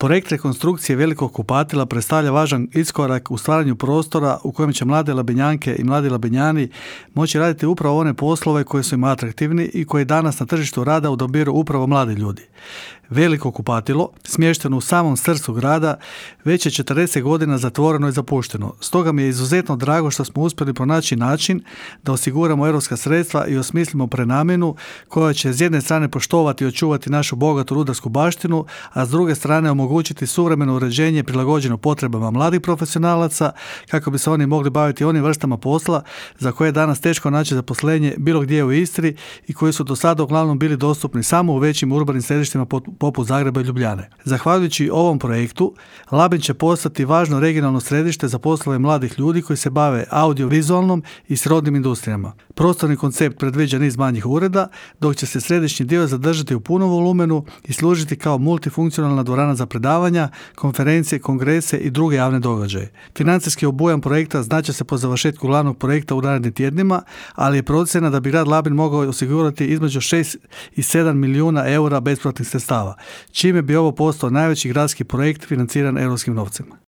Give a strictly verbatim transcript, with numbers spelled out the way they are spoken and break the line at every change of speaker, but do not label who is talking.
Projekt rekonstrukcije velikog kupatila predstavlja važan iskorak u stvaranju prostora u kojem će mlade Labinjanke i mladi Labinjani moći raditi upravo one poslove koji su im atraktivni i koji danas na tržištu rada odabiru upravo mladi ljudi. Veliko kupatilo, smješteno u samom srcu grada, već je četrdeset godina zatvoreno i zapušteno. Stoga mi je izuzetno drago što smo uspjeli pronaći način da osiguramo europska sredstva i osmislimo prenamjenu koja će s jedne strane poštovati i očuvati našu bogatu rudarsku baštinu, a s druge strane omogućiti suvremeno uređenje prilagođeno potrebama mladih profesionalaca kako bi se oni mogli baviti onim vrstama posla za koje je danas teško naći zaposlenje bilo gdje u Istri i koji su do sada uglavnom bili dostupni samo u većim urbanim središtima poput Zagreba i Ljubljane. Zahvaljujući ovom projektu, Labin će postati važno regionalno središte za poslove mladih ljudi koji se bave audiovizualnom i srodnim industrijama. Prostorni koncept predviđa niz manjih ureda, dok će se središnji dio zadržati u punom volumenu i služiti kao multifunkcionalna dvorana za predavanja, konferencije, kongrese i druge javne događaje. Financijski obujam projekta znače se po završetku glavnog projekta u narednim tjednima, ali je procjena da bi grad Labin mogao osigurati između šest i sedam milijuna eura besplatnih sredstava, čime bi ovo postao najveći gradski projekt financiran europskim novcima.